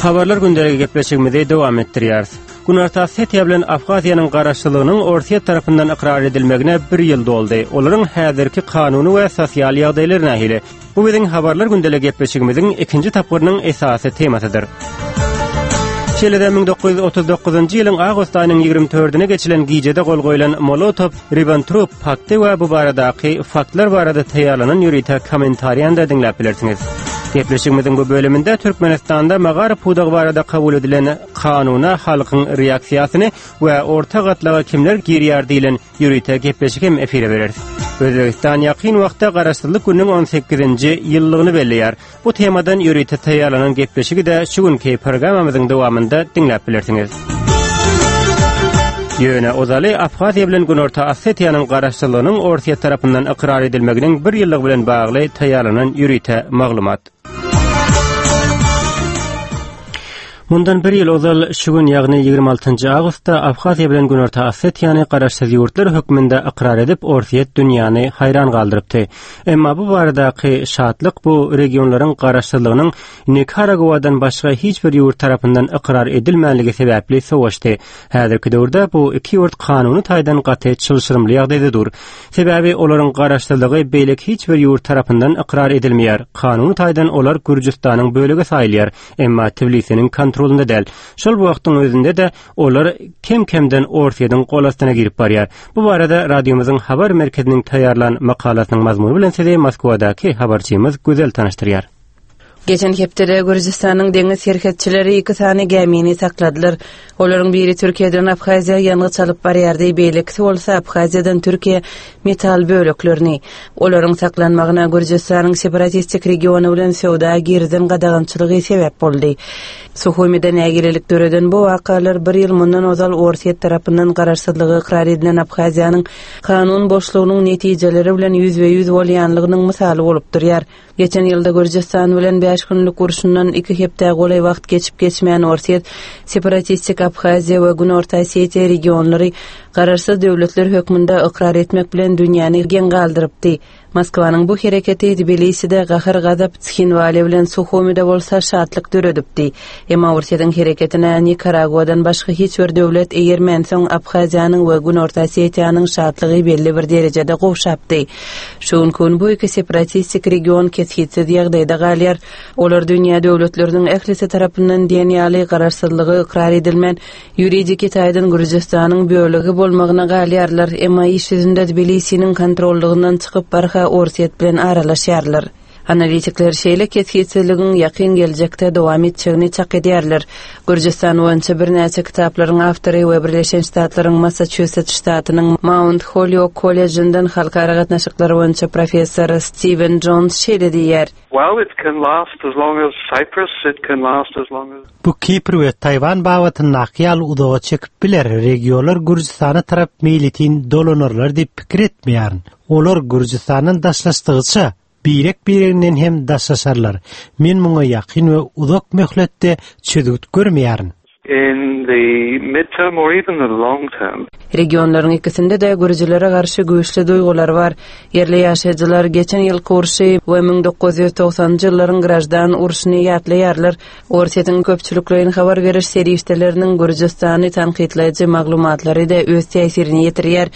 Habarlar gündeligi gepleşigimizi dowam etdirýäris. Günorta Osetiýa bilen Abhaziýanyň garaşsyzlygynyň Orsýet tarapyndan ykrar edilmegine bir ýyl doldy. Olaryň häzirki kanuny we sosial ýagdaýlary nähili? Bu biziň Habarlar gündeligi gepleşigimiziň ikinji tapgyrynyň esasy temasydyr. Şeýle-de 1939-njy ýylyň awgust aýynyň 24-üne geçilen gijede gol goýlan Molotow-Ribbentrop pakty we bu baradaky faktlar barada taýýarlanan ýörite kommentariýany-da diňläp bilersiňiz. Gepleşigimiziň bu bölüminde Türkmenistanda magaryf pudagy barada kabul edilen kanuna halkyň reaksiýasyny we orta gatlaga kimler girýär diýlen ýörite gepleşik hem efire bereris. Özbegistan ýakyn wagtda Garaşsyzlyk gününiň on sekizinji ýyllygyny belleýär. Bu temadan ýörite taýýarlanan gepleşigi-de şu günki programmamyzyň dowamynda diňläp bilersiňiz. Ýöne ozaly Abhaziýa bilen Günorta Osetiýanyň garaşsyzlygynyň Orsýet tarapyndan ykrar edilmeginiň bir ýyllygy bilen bagly taýýarlanan ýörite maglumat. Mundan bir ýyl ozal şu gün, ýagny 26-njy awgustda Abhaziýa bilen Günorta Osetiýany garaşsyz ýurtlar hökmünde ykrar edip, Orsýet dünýäni haýran galdyrypdy. Emma bu baradaky şatlyk bu regionlaryň garaşsyzlygynyň Nikaraguadan başga hiç bir ýurt tarapyndan ykrar edilmänligi sebäpli sowaşdy. Häzirki döwürde bu iki ýurt kanuny taýdan gaty çylşyrymly ýagdaýda dur. Sebäbi olaryň garaşsyzlygy beýleki hiç bir ýurt tarapyndan ykrar edilmeýär. Kanuny taýdan olar Gürjüstanyň bölegi saýylýar, emma Tbilisiniň kontrolynda däl. Şol bir wagtyň özünde-de olar kem-kemden Orsýetiň gol astyna girip barýar. Bu barada radiomyzyň habar merkeziniň taýýarlan makalasynyň mazmuny bilen sizi Moskwadaky habarçymyz Gözel tanyşdyrýar. Geçen hepdede Gürjüstanyň deňiz serhetçileri iki sany gämini sakladylar. Olaryň biri Türkiýeden Abhaziýa ýangyç alyp barýardy, beýlekisi bolsa Abhaziýadan Türkiýä metal böleklerini. Olaryň saklanmagyna Gürjüstanyň separatistik regiony bilen söwda girizen gadagançylygy sebäp boldy. Suhumide nägilelik döreden bu wakalar bir ýyl mundan ozal Orsýet tarapyndan garaşsyzlygy ykrar edilen Abhaziýanyň kanun boşlugynyň netijeleri bilen ýüzbe-ýüz bolýanlygynyň mysaly bolup durýar. Geçen ýylda Gürjüstan bilen bäş günlük urşundan iki hepdä golaý wagt geçip-geçmän Orsýet separatistik Abhaziýa we Günorta Osetiýa regionlary garaşsyz döwletler hökmünde ykrar etmek bilen dünýäni geň galdyrypdy. Moskwanyň bu hereketi Tbiliside gahar-gazap, Tshinwali bilen Suhumide bolsa şatlyk döredipdi. Emma Orsýetiň hereketine Nikaraguadan başga hiç bir döwlet eýermänsoň Abhaziýanyň we Günorta Osetiýanyň şatlygy belli bir derejede gowşapdy. Şu günki gün bu iki separatistik region kesgitsiz ýagdaýda galýar. Olar dünýä döwletleriniň ählisi tarapyndan diýen ýaly garaşsyzlygy ykrar edilmän, ýuridiki taýdan Gürjüstanyň bölegi bolmagyna galýarlar, emma iş ýüzünde Tbilisiniň kontrollygyndan çykyp barha Orsýet bilen aralaşýarlar. Analitikler şeýle kesgitsizligiň ýakyn geljekde dowam etjegini çak edýärler. Gürjüstan boýunça birnäçe kitaplaryň awtory we Birleşen Ştatlaryň Massaçusets ştatynyň Maunt Holýok kollejinden halkara gatnaşyklary boýunça professor Stiwen Jons şeýle diýýär. Well, it can last as long as Cyprus, it can last as long as. Bu Kipr we Taýwan babatyndaky ýaly uzaga çekip biler, regionlar Gürjüstana tarap meýletin dolanarlar diýip pikir etmeýärin. Olar Gürjüstandan daşlaşdygyça, birek-bireginden hem daşlaşarlar. Men muňa ýakyn we uzak möhletde çözgüt görmeýärin. In the mid-term or even the long term. Regionlaryň ikisinde-de gürjülere garşy güýçli duýgular bar. Ýerli ýaşaýjylar geçen ýylky urşy we 1990-njy ýyllaryň graždan urşuny ýatlaýarlar. Orsýetiň köpçülikleýin habar beriş serişdeleriniň Gürjüstany tankytlaýjy maglumatlary-da öz täsirini ýetirýär.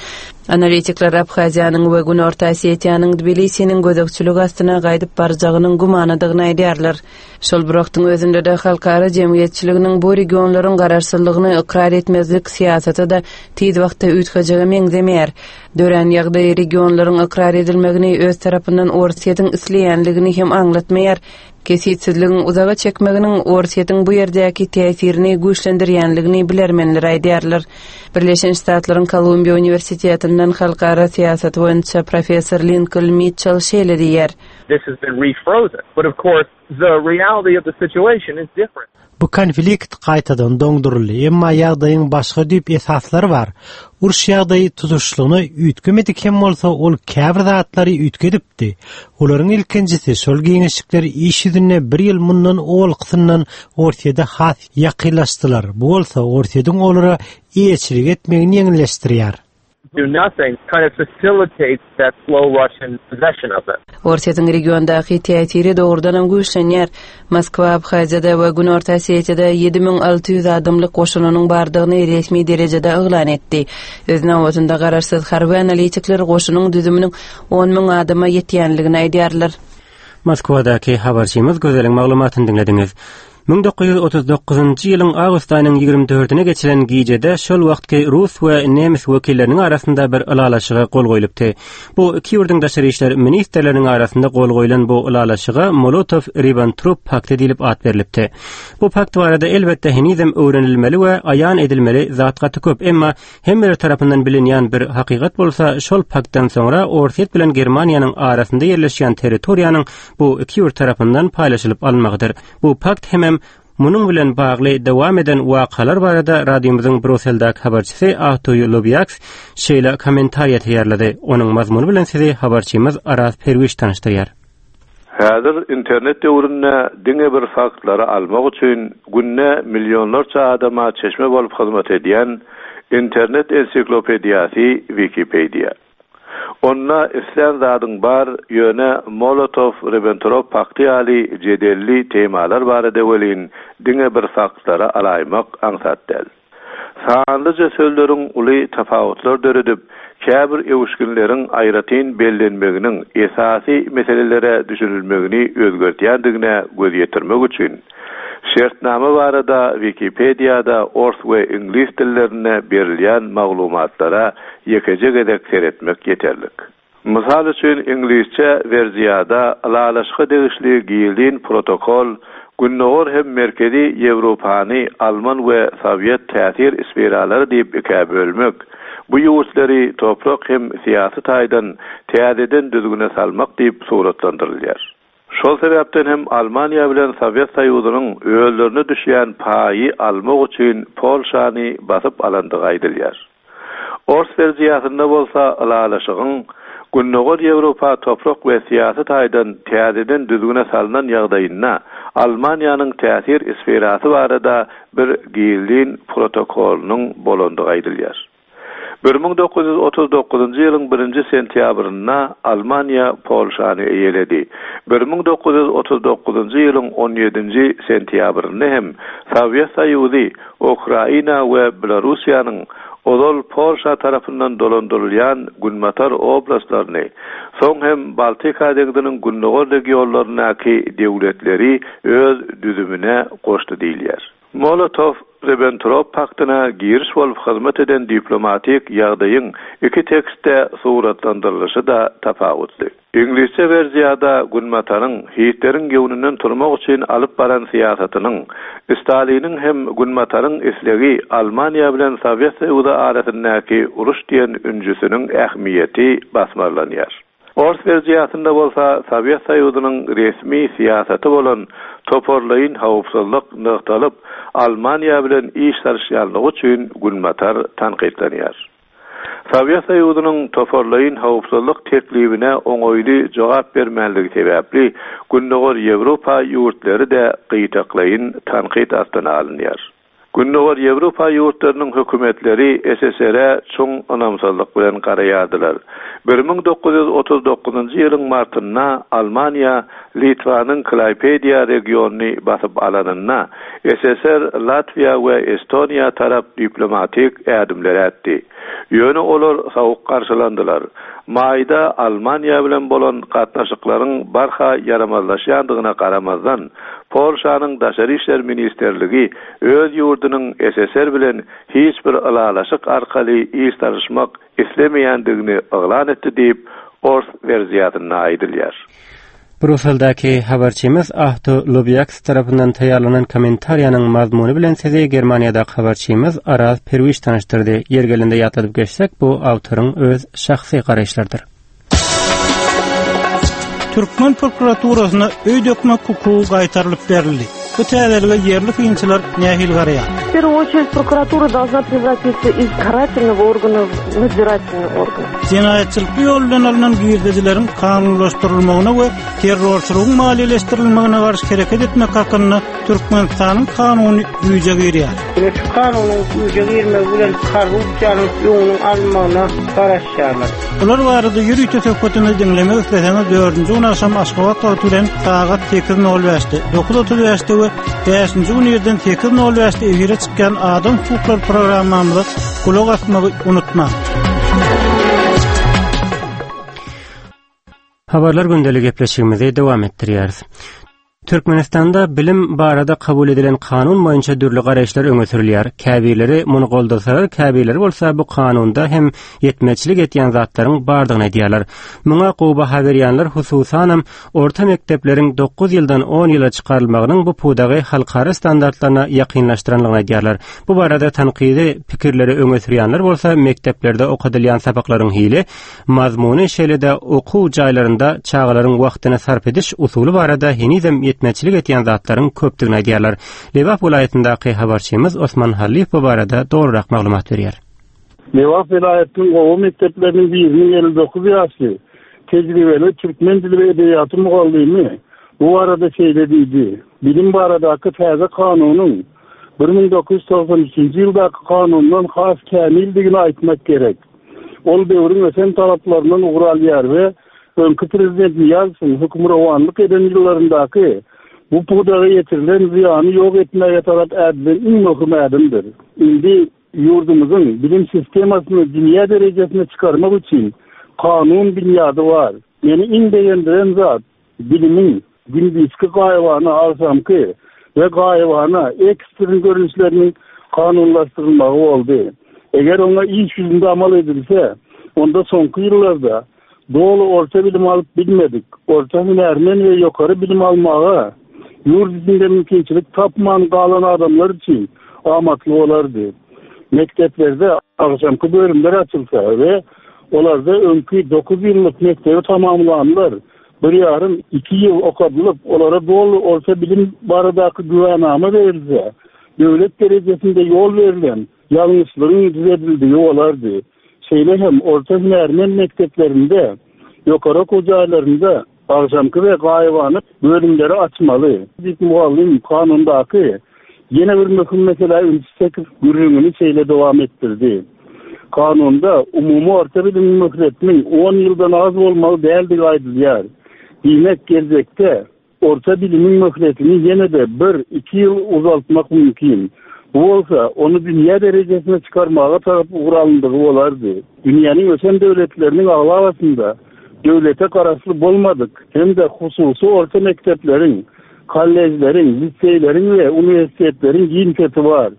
Analitikler Abhaziýanyň we Günorta Osetiýanyň Tbilisiniň gözegçiligi astyna gaýdyp barjagynyň gümanadygyny aýdýarlar. Şol bir wagtyň özünde-de halkara jemgyýetçiliginiň bu regionlaryň garaşsyzlygyny ykrar etmezlik syýasaty-da tiz wagtda üýtgejege meňzemeýär. Dörän ýagdaý regionlaryň ykrar edilmegini öz tarapyndan Orsýetiň isleýänligini hem aňlatmaýar. Kesgitsizligiň uzaga çekmeginiň Orsýetiň bu ýerdäki täsirini güýçlendirýänligini bilermenler aýdýarlar. Birleşen Ştatlaryň Kolumbiýa uniwersitetinden halkara syýasaty boýunça professor Linkoln Mitçell şeýle diýýär. This has been refrozen. But of course, the reality of the situation is different. Bu konflikt gaýtadan doňduryldy, emma ýagdaýyň başga düýp esaslary bar. Uruş ýagdaýy tutuşlygyna üýtgemedik hem bolsa, ol käbir zatlary üýtgedipdi. Olaryň ilkinjisi, şol giňişlikler iş ýüzünde bir ýyl mundan owalkysyndan Orsýede has ýakynlaşdylar, bu bolsa Orsýetiň olara eýeçilik etmegini ýeňilleşdirýär. do nothing kind of facilitates that slow Russian possession of them. Orsýetiň regiondaky täsiri dogrudanam güýçlenýär. Moskwa Abhaziýada we Günorta Osetiýada 7600 adamlyk goşunynyň bardygyny resmi derejede yglan etdi. Öz nobatynda garaşsyz harby analitikler goşunyň düzüminiň on müň adama ýetýänligini aýdýarlar. Moskwadaky habarçymyz Gözeliň maglumatyny diňlediňiz. 1939-njy ýylyň awgust aýynyň 24-üne geçilen gijede şol wagtky rus we nemes wekilleriniň arasynda bir ylalaşyga gol goýlupdy. Bu iki ýurduň daşary işler ministrleriniň arasynda gol goýlan bu ylalaşyga Molotow-Ribbentrop pakty diýlip at berlipdi. Bu pakt barada elbetde henizem öwrenilmeli we aýan edilmeli zat gaty köp, emma Hemmeler tarapyndan bilinýän bir hakykat bolsa, şol paktdan soňra Orsýet bilen Germaniýanyň arasynda ýerleşýän territoriýanyň bu iki ýurt tarapyndan paýlaşylyp alynmagydyr. Bu pakt hemem munuň bilen bagly dowam eden wakalar barada radiomyzyň Brusseldäki habarçysy Ahtoý Lobýaks şeýle kommentariýa taýýarlady. Onuň mazmuny bilen sizi habarçymyz Araz Perwiş tanyşdyrýar. Häzir internet döwründe diňe bir faktlary almak üçin günde millionlarça adama çeşme bolup hyzmat edýän internet ensiklopediýasy Wikipediýa. Onda islän zadyň bar, ýöne Molotow-Ribbentrop pakty ýaly jedelli temalar barada welin diňe bir faktlary alaýmak aňsat däl. Sanlyja sözleriň uly tapawutlar döredip, käbir öwüşginleriň aýratyn bellenmeginiň esasy meselelere düşünilmegini özgerdýändigine göz ýetirmek üçin, şertnama barada Wikipediýada ors we iňlis dillerinde berilýän maglumatlara ýekeje gezek seretmek ýeterlik. Mysal üçin, iňlisçe werziýada ylalaşyga degişli gizlin protokol Gündogar hem Merkezi Ýewropany alman we sowet täsir sferalary diýip ikä bölmek, bu ýurtlary toprak hem syýasy taýdan täzeden düzgüne salmak diýip suratlandyrylýar. Şol sebäpden hem Almaniýa bilen Sowet Soýuzynyň özlerine düşýän paýy almak üçin Polşany basyp alandygy aýdylýar. Ors werziýasynda bolsa ylalaşygyň Gündogar Ýewropa toprak we syýasy taýdan täzeden düzgüne salnan ýagdaýynda Almaniýanyň täsir sferasy barada bir gizlin protokolynyň bolandygy aýdylýar. 1939-njy ýylyň birinji sentýabrynda Almaniýa Polşany eýeledi. 1939-njy ýylyň on ýedinji sentýabrynda hem Sowet Soýuzy Ukraina we Belorussiýanyň ozal Polşa tarapyndan dolandyrylýan günbatar oblastlaryny, soň hem Baltika deňziniň gündogar regionlaryndaky döwletleri öz düzümine goşdy diýilýär. Molotow-Ribbentrop paktyna giriş bolup hyzmat eden diplomatik ýagdaýyň iki tekstde suratlandyrylyşy-da tapawutly. Iňlisçe werziýada Günbataryň Hitleriň göwnünden turmak üçin alyp baran syýasatynyň, Staliniň hem Günbataryň islegi Almaniýa bilen Sowet Soýuzy arasyndaky uruş diýen ünjüsiniň ähmiýeti basmarlanýar. Ors werziýasynda bolsa Sowet Soýuzynyň resmi syýasaty bolan toparlaýyn howpsuzlyk nygtalyp, Almaniýa bilen iş salyşýanlygy üçin Günbatar tankytlanýar. Sowet Soýuzynyň toparlaýyn howpsuzlyk teklibine oňaýly jogap bermänligi sebäpli Gündogar Ýewropa ýurtlary-da gytaklaýyn tankyt astyna alynýar. Gündogar Ýewropa ýurtlarynyň hökümetleri SSR-e çuň ynamsyzlyk bilen garaýardylar. 1939-njy ýylyň martynda Almaniýa Litwanyň Klaýpediýa regionyny basyp alanynda, SSR Latwiýa we Estoniýa tarap diplomatik ädimler ätdi. Ýöne olar sowuk garşylandylar. Maýda Almaniýa bilen bolan gatnaşyklaryň barha ýaramazlaşýandygyna garamazdan, Polşanyň Daşary işler ministrligi öz ýurdunyň SSR bilen hiç bir ylalaşyk arkaly iş salyşmak islemeýändigini yglan etdi diýip, ors werziýasynda aýdylýar. Brusseldäki habarçymyz Ahto Lobýaks tarapyndan taýýarlanan kommentariýanyň mazmuny bilen sizi Germaniýadaky habarçymyz Araz Perwiş tanyşdyrdy. Ýeri gelende ýatladyp geçsek, bu awtoryň öz şahsy garaýyşlarydyr. Türkmen prokuraturasyna öý dökmek hukugy gaýtarylyp berildi. Bu täzelige ýerli synçylar nähili garaýar? В первую очередь прокуратура должна превратиться из карательного органа в надзирательный орган. Jenaýatçylykly ýol bilen alnan girdejileriň kanunlaşdyrylmagyna we terrorçylygyň maliýeleşdirilmegine garşy hereket etmek hakynda Türkmenistanyň kanuny güýje girýär. Ine şu kanunyň güýje girmegi bilen korrupsiýanyň öňüniň alynmagyna garaşýarlar. Bular barada ýörite söhbetimizi diňlemek isleseňiz dördünji gün agşam Aşgabat wagty bilen sagat 8:05-de, 9:35-de we bäşinji gün irden 8:05-de efire çykýan Adam hukuklary programmamyza gulak asmagy unutmaň. Habarlar gündeli gepleşigimizi dowam etdirýäris. Türkmenistanda bilim barada kabul edilen kanun boýunça dürli garaýyşlar öňe sürülýär. Käbirleri muny goldasalar, käbirleri bolsa bu kanunda hem ýetmezçilik etýän zatlaryň bardygyny aýdýarlar. Muňa gowy baha berýänler hususanam orta mekdepleriň dokuz ýyldan on ýyla çykarylmagynyň bu pudagy halkara standartlaryna ýakynlaşdyranlygyny aýdýarlar. Bu barada tankydy pikirleri öňe sürýänler bolsa mekdeplerde okadylýan sapaklaryň hili Mazmuny, şeýle-de okuw jaýlarynda çagalaryň wagtyny sarp ediş usuly barada henizem ýetmezçilik etýän zatlaryň köpdügini aýdýarlar. Lebap welaýatyndaky habarçymyz Osman Hallyýew bu barada dolurak maglumat berýär. Lebap welaýatynyň oba mekdepleriniň biriniň 59 ýaşly, tejribeli türkmen dili we edebiýaty mugallymy bu barada şeýle diýdi, Bilim baradaky täze kanunyň 1993-nji ýyldaky kanundan has kämildigini aýtmak gerek. Ol döwrüň ösen talaplaryndan ugur alýar we öňki prezident Nyýazowyň hökmürowanlyk eden ýyllaryndaky bu pudaga ýetirilen zyýany ýok etmäge tarap ädilen iň möhüm ädimdir. Indi ýurdumyzyň bilim sistemasyny dünýä derejesine çykarmak üçin kanun binýady bar. Meni iň begendiren zat, Bilimiň gündizki gaýybana agşamky we gaýybana ekstren görnüşleriniň kanunlaşdyrylmagy boldy. Eger oňa iş ýüzünde amal edilse, onda soňky ýyllarda doly orta bilim alyp bilmedik, orta hünärmen we ýokary bilim almaga ýurt içinde mümkinçilik tapman galan adamlar üçin amatly bolardy. Mekdeplerde agşamky bölümler açylsa we olarda öňki dokuz ýyllyk mekdebi tamamlanlar Bir ýarym, iki ýyl okadylyp, olara doly orta bilim baradaky güwänama berilse, döwlet derejesinde ýol berlen ýalňyşlygyň düzedildigi bolardy. Şeýle hem orta hünärmen mekdeplerinde, ýokary okuw jaýlarynda agşamky we gaýybana bölümleri açmaly, diýip, mugallym kanundaky Ýene bir möhüm meselä ünsi çekip, gürrüňini şeýle dowam etdirdi, Kanunda umumy orta bilimiň möhletiniň on ýyldan az bolmaly däldigi aýdylýar. Diýmek, geljekde orta bilimiň möhletini ýene-de bir, iki ýyl uzaltmak mümkin. Bu bolsa, ony dünýä derejesine çykarmaga tarap ugur alyndygy bolardy. Dünýäniň ösen döwletleriniň aglabasynda döwlete garaşly bolmadyk hem-de hususy orta mekdepleriň Kollejleriň, liseýleriň we uniwersitetleriň giň seti bar.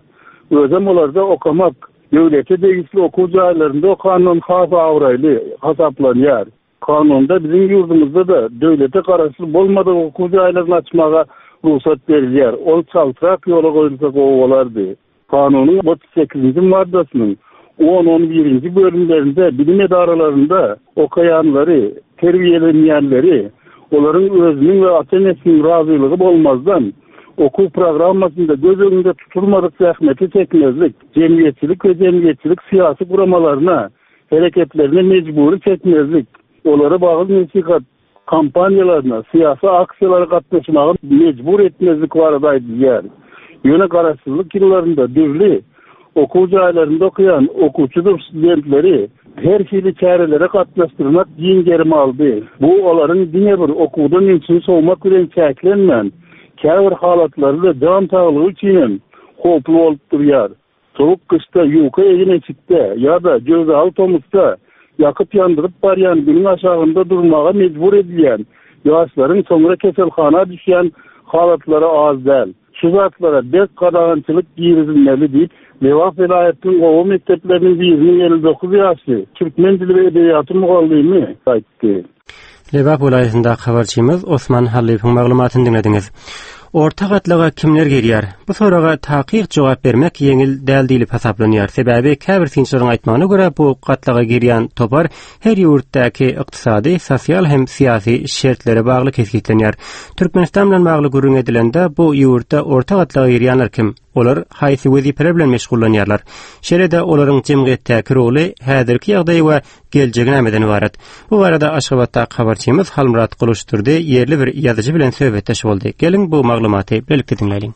Özem olarda okamak, döwlete degişli okuw jaýlarynda okandan has abraýly hasaplanýar. Kanunda biziň ýurdumyzda-da döwlete garaşly bolmadyk okuw jaýlaryny açmaga rugsat berilýär. Ol çaltrak ýola goýulsa gowy bolardy. Kanunyň 38-nji maddasynyň on-on birinji bölümlerinde bilim edaralarynda okaýanlary, terbiýelenýänleri olaryň özüniň we ata-enesiniň razylygy bolmazdan, okuw programmasynda göz öňünde tutulmadyk zähmeti çekmezlik, jemgyýetçilik we jemgyýetçilik-syýasy guramalaryna, hereketlerine mejbury çekmezlik, olary wagyz-nesihat kampaniýalaryna, syýasy aksiýalara gatnaşmaga mejbur etmezlik barada aýdylýar. Ýöne garaşsyzlyk ýyllarynda dürli okuw jaýlarynda okaýan okuwçydyr studentleri her hili çärelere gatnaşdyrmak giň gerim aldy. Bu olaryň diňe bir okuwdan ünsüni sowmak bilen çäklenmän, käbir halatlarda jan saglygy üçinem howply bolup durýar. Sowuk gyşda ýuka egin-eşikde ýa-da jöwzaly tomusda ýakyp-ýandyryp barýan Günüň aşagynda durmaga mejbur edilýän ýaşlaryň soňra keselhana düşýän halatlary az däl. Şu zatlara berk gadagançylyk girizilmeli diýip, Lebap welaýatynyň oba mekdepleriniň biriniň 59 ýaşly türkmen dili we edebiýaty mugallymy aýtdy. Lebap welaýatyndaky habarçymyz Osman Hallyýewiň maglumatyny diňlediňiz. Orta gatlaga kimler girýär? Bu soraga takyk jogap bermek ýeňil däl diýlip hasaplanýar. Sebäbi käbir synçylaryň aýtmagyna görä, bu gatlaga girýän topar her ýurtdaky ykdysady, sosial hem syýasy şertlere bagly kesgitlenýär. Türkmenistan bilen bagly gürrüň edilende, bu ýurtda orta gatlaga girýänler kim? Olar haýsy wezipeler bilen meşgullanýarlar? Şeýle-de olaryň jemgyýetdäki roly, häzirki ýagdaýy we geljegi nämeden ybarat? Bu barada Aşgabatdaky habarçymyz Halmyrat Gylyçdurdy ýerli bir ýazyjy bilen söhbetdeş boldy. Geliň, bu maglumaty bilelikde diňläliň.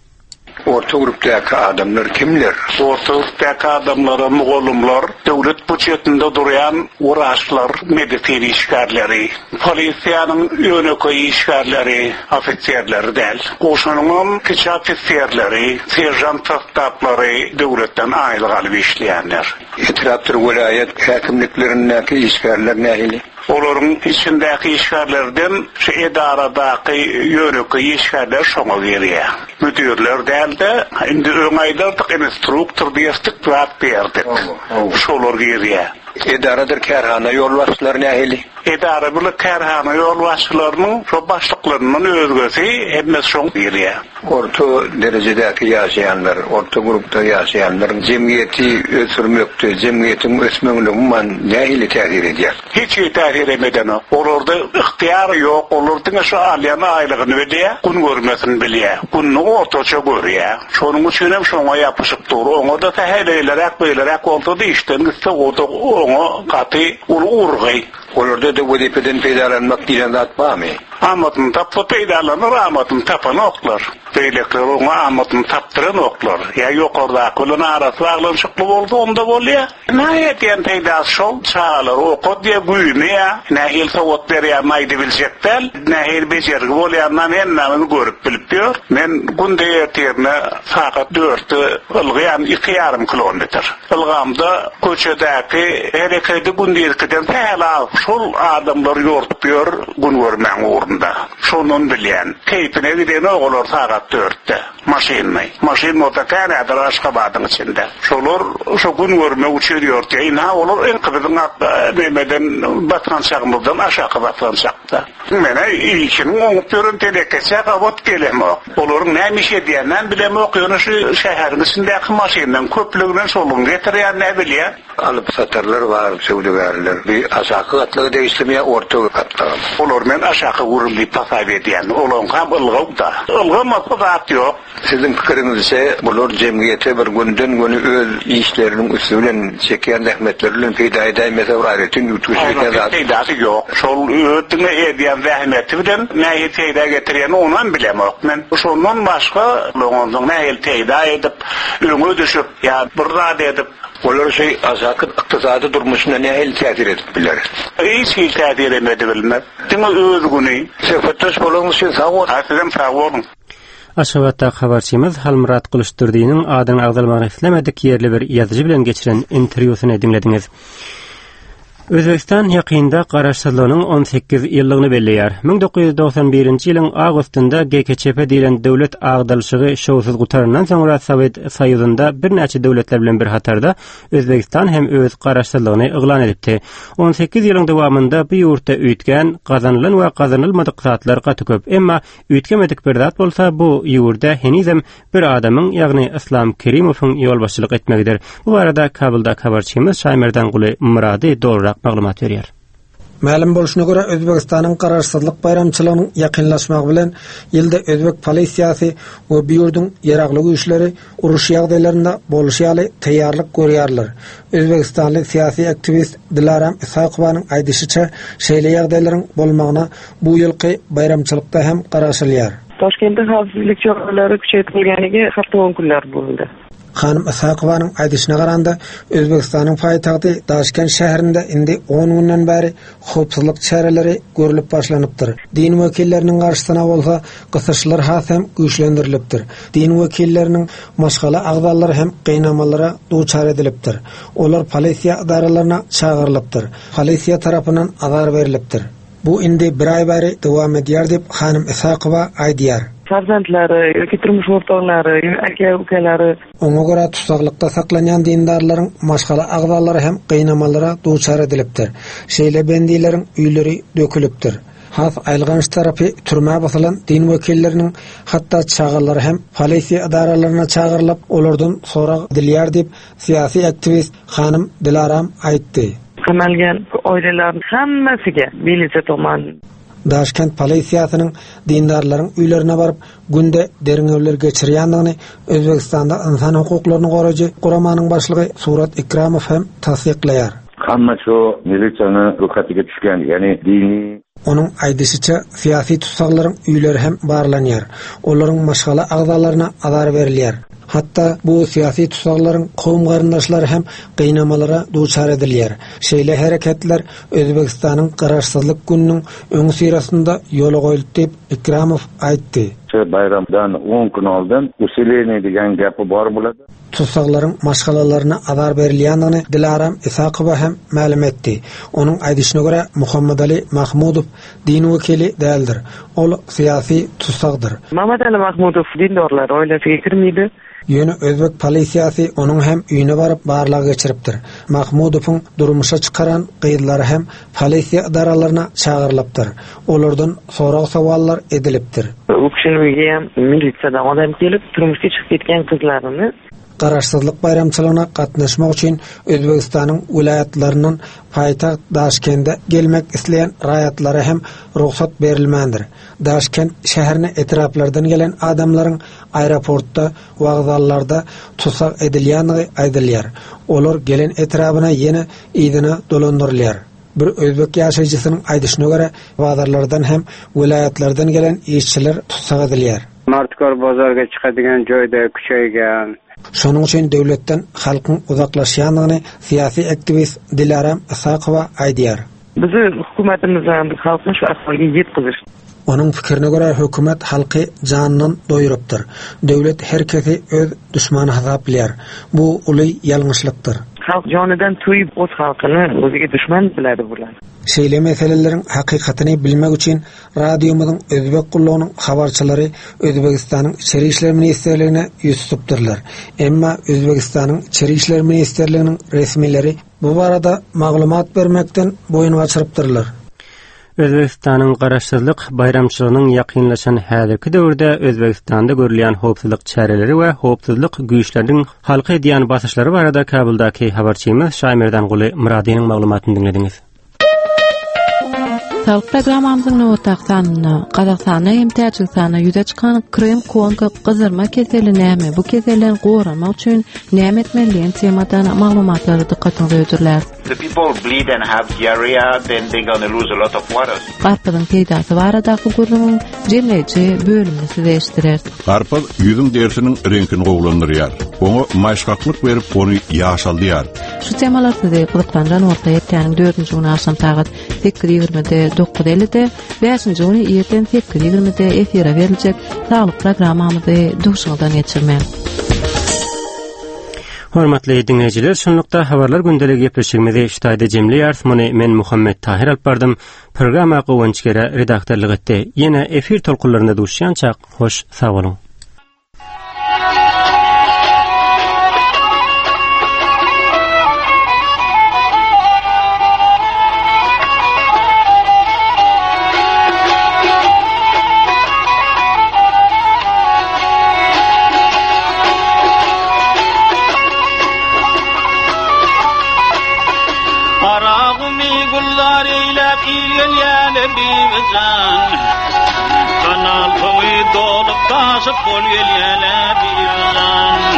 Orta grupdaky adamlar kimler? Orta grupdaky adamlara mugallymlar, döwlet budjetinde durýan wraçlar, medisina işgärleri, polisiýanyň ýönekeý işgärleri, ofiserleri däl. Goşunyňam kiçi ofiserleri, seržant sostaplary döwletden aýlyk alyp işleýänler. Etrapdyr welaýat häkimliklerindäki işgärler nähili? Olaryň içindäki işgärlerden şu edaradaky ýönekeý işgärler şoňa girýär. Müdirler däl-de, indi öň aýdardyk, instruktor diýerdik, zat diýerdik. Şolar girýär. Edaradyr kärhana ýolbaşçylary nähili? Edara bilen kärhana ýolbaşçylarynyň şo başlyklaryndan özgesi hemmesi şoňa girýär. Orta derejedäki ýaşaýanlar, orta grupda ýaşaýanlar jemgyýeti ösdürmekde, jemgyýetiň ösmegine umuman nähili täsir edýär? Hiç hili täsirem edenok. Olarda ygtyýar ýok, olar diňe şu alýan aýlygyny bilýär, gün görmesini bilýär. Gününi ortaça görýär. Şonuň üçinem şoňa ýapyşyp dur. Oňa-da sähel eýleräk-beýleräk bolsa-da işden gitse, o-da oňa gaty uly urgy. Olarda-da wezipeden peýdalanmak diýlen zat barmy? Amadyny tapsa peýdalanar, amadyny tapanoklar. Beýlekiler oňa amadyny tapdyranoklar. Ýa ýokardaky bilen arasy baglanyşykly bolsa onda bolýa. Näme edýän peýdasy şol, çagalary okadýa, güýmeýä, nähili sowat berýänini aýdybiljek däl, nähili bejergi bolýanynam hemmämiz görüp bilip ýör. Men günde ertirine sagat dörtde ylgaýan iki ýarym kilometr. Ylgamda köçedäki herekedi gündizkiden sähel az. Şol adamlar ýortup ýör gün görmäň ugrunda. Şondan bilýän. Keýpine gidenok olar sagat dörtde. Maşynly. Maşyn bolsa kän häzir Aşgabadyň içinde. Şolar şo gün görmek üçin ýörtýär. Ynha olar öňki biziň nemeden basgançagymyzdan aşaky basgançakda. Menä işiniň oňup ýören telekeçä gabat gelemok. Olaryň näme iş edýäninem bilemok, ýöne şu şäheriň içindäki maşynlaryň köplüginem şolaryň getirýänini bilýän. Alyp-satarlar bar, söwdagärler. Bu aşaky gatlaga degişlimi ýa orta gatlagamy? Olary men aşaky gürüm diýip hasap edýän. Olaryňkam ylgaw-da. Ylgamasa zat ýok. Siziň pikiriňizçe, bular jemgyýete bir gönüden-göni öz işleriniň üsti bilen, çekýän zähmetleri bilen peýda edäýmese bir aýratyn üýtgeşik edýän zat. Peýdasy ýok. Şol öz diňe edýän zähmeti bilen nähili peýda getirýänini onam bilemok men. Şondan başga onsoň nähili peýda edip, öňe düşüp ýa bir zat edip. Olar şu aşaky ykdysady durmuşyna nähili täsir edip biler? Hiç hili täsirem edibilmez. Diňe öz güni. Söhbetdeş bolanyňyz üçin sag boluň. Sizem sag boluň. Aşgabatdaky habarçymyz Halmyrat Gylyçdurdynyň adynyň agzalmagyny islemedik ýerli bir ýazyjy bilen geçiren interwýusyny diňlediňiz. Özbegistan ýakynda garaşsyzlygynyň 18 ýyllygyny belleýär. 1991-nji ýylyň awgustynda GKÇP diýlen döwlet agdalyşygy şowsuz gutarandan soňra Sowet Soýuzynda birnäçe döwletler bilen bir hatarda Özbegistan hem öz garaşsyzlygyny yglan edipdi. 18 ýylyň dowamynda bu ýurtda üýtgän, gazanylan we gazanylmadyk zatlar gaty köp. Emma Üýtgemedik bir zat bolsa, bu ýurda henizem bir adamyň, ýagny Yslam Kerimowyň ýolbaşçylyk etmegidir. Bu barada Kabuldaky habarçymyz Şaýmerdanguly Myrady dolurak maglumat berýär. Mälim bolşuna görä, Özbegistanyň Garaşsyzlyk baýramçylygynyň ýakynlaşmagy bilen ýylda özbek polisiýasy we bu ýurduň ýaragly güýçleri uruş ýagdaýlarynda bolşy ýaly taýýarlyk görýärler. Özbegistanly syýasy aktiwist Dilaram Isakowanyň aýdyşyça, şeýle ýagdaýlaryň bolmagyna bu ýylky baýramçylykda hem garaşylýar. Toşkentde howpsuzlyk çäreleri kuchaytirilganiga hafta on kunlar bo'ldi. Hanym Isakowanyň aýdyşyna garanda, Özbegistanyň paýtagty Daşkent şäherinde indi on günden bäri howpsuzlyk çäreleri görlüp başlanypdyr. Din wekilleriniň garşysyna bolsa gysyşlar has hem güýçlendirilipdir. Din wekilleriniň maşgala agzalary hem gynamalara duçar edilipdir. Olar polisiýa edaralaryna çagyrylypdyr. Polisiýa tarapyndan azar berlipdir. Bu indi bir aý bäri dowam edýär diýip, hanym Isakowa aýdýar. Farzandlary ýoki turmuş o'rtoqlari, aka-ukalari. Oňa görä, tussaglykda saklanýan dindarlaryň maşgala agzalary hem gynamalara duçar edilipdir. Şeýle bendileriň öýleri dökülipdir. Has aýylganç tarapy, türmä basylan din wekilleriniň hatda çagalary hem polisiýa edaralaryna çagyrylyp, olardan sorag edilýär diýip, syýasy aktiwist hanym Dilaram aýtdy. Qamalgan oilalarni hammasiga militsiya tomonidan. Daşkent polisiýasynyň dindarlaryň öýlerine baryp, günde derňewler geçirýändigini Özbegistanda ynsan hukuklaryny goraýjy guramanyň başlygy Surat Ikramow hem tassyklaýar. Hamma şu milisiýany roýhatiga düşgen, ýagny dini. Onuň aýdyşyça, syýasy tussaglaryň öýleri hem barlanýar, olaryň maşgala agzalaryna azar berilýär. Hatda bu syýasy tussaglaryň kowum-garyndaşlary hem gynamalara duçar edilýär. Şeýle hereketler Özbegistanyň Garaşsyzlyk gününiň öňüsyrasynda ýola goýuldy diýip, Ikramow aýtdy. Şu baýramdan on gün oldun usileniýe diýen gepi bar bularda. Tussaglaryň maşgalalaryna azar berilýändigini Dilaram Isakowa hem mälim etdi. Onuň aýdyşyna görä, Muhammadali Mahmudow din wekili däldir. Ol syýasy tussagdyr. Mamadali Mahmudow dindorlar oýlasa getirmidi. Ýöne özbek polisiýasy onuň hem öýüne baryp barlag geçiripdir. Mahmudowyň durmuşa çykaran gyzlary hem polisiýa ydaralaryna çagyrylypdyr. Olardan sorag-sowallar edilipdir. U kişiniň öýügem milisiýadan odam gelip, turmuşga çykyp gitgen gyzlaryny. Garaşsyzlyk baýramçylygyna gatnaşmak üçin Özbegistanyň welaýatlaryndan paýtagt Daşkende gelmek isleýän raýatlara hem rugsat berilmändir. Daşkent şäherine etraplardan gelen adamlaryň aeroportda, wokzallarda tussag edilýändigi aýdylýar. Olar gelen etrabyna ýene yzyna dolandyrylýar. Bir özbek ýaşaýjysynyň aýdyşyna görä, bazarlardan hem welaýatlardan gelen işçiler tussag edilýär. Martkor bozorga çykadigan joýda kuçaýgan. Şonuň üçin döwletden halkyň uzaklaşýandygyny syýasy aktiwist Dilaram Isakowa aýdýar. Bizi hukumatymyzam halkny şu ahwalga ýetgiziş. Onuň pikirine görä, hökümet halky janyndan doýurypdyr. Döwlet her kesi öz duşmany hasaplaýar. Bu uly ýalňyşlykdyr. Halk janydan toýup oz halkyny ozige duşman biladi bular. Şeýle meseleleriň hakykatyny bilmek üçin radiomyzyň Özbek gullugynyň habarçylary Özbegistanyň Içeri işler ministrligine ýüz tutupdyrlar. Emma Özbegistanyň Içeri işler ministrliginiň resmileri bu barada maglumat bermekden boýun gaçyrypdyrlar. Özbegistanyň Garaşsyzlyk baýramçylygynyň ýakynlaşan häzirki döwürde Özbegistanda görülýän howpsuzlyk çäreleri we howpsuzlyk güýçleriniň halka edýän basyşlary barada Kabuldaky habarçymyz Şaýmerdanguly Myradynyň maglumatyny diňlediňiz. Saglyk programmamyzyň nobatdaky sanynda Gazagystanda hem Täjigistanda ýüze çykan Krym-Kongo gyzarma keseli näme, bu keselden goranmak üçin näme etmeli diýen temadan maglumatlary dykgatyňyza hödürläris. The people bleed and have diarrhea, then they're gonna lose a lot of water. Garpyzyň peýdasy baradaky gürrüňiň jemleýji bölümini size eşitdireris. Garpyz ýüzüň derisiniň reňkini gowulandyrýar. Oňa maýyşgaklyk berip, ony ýaşaldýar. Şu temalar sizi gyzyklandyran bolsa hepdäniň dördünji güni agşam sagat sekiz ýigrimide, dokuz ellide, bäşinji güni irden sekiz ýigrimide efire beriljek Saglyk programmamyzy duşuňyzdan geçirmäň. Hormatly diňleýjiler, şunlukda habarlar gündeligi gepleşigimizi şu taýda jemleýäris. Muny men Muhammet Tahyr alyp bardym. Programma Guwanç Gere redaktorlyk etdi. Ýene efir tolkunlarynda duşýançak, hoş sag boluň. Garagümi gülzar eýläp il gelýäle Bibijan. Kanal suwy dolup daşyp bol gelýäle Bibijan.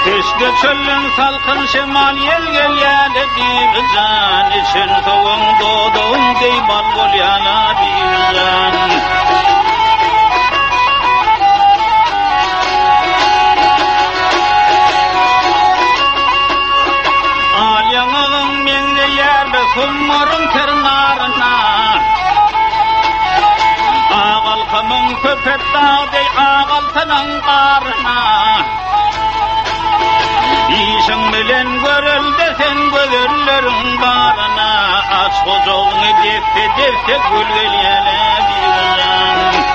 Peşde çölden salkyn şemal ýel gelýäle Bibijan. Içen suwuň dodagyň deý bal bolýala Bibijan. Al ýaňagyň meňzeýärle Sumbaryň ter naryna. Ak alkamyň Köpetdag deý ak altynyň garyna. Işiň bilen görelde sen gözelleriň baryna. Aç gujagyňy desse-desse gül gelýär-ä Bibijan.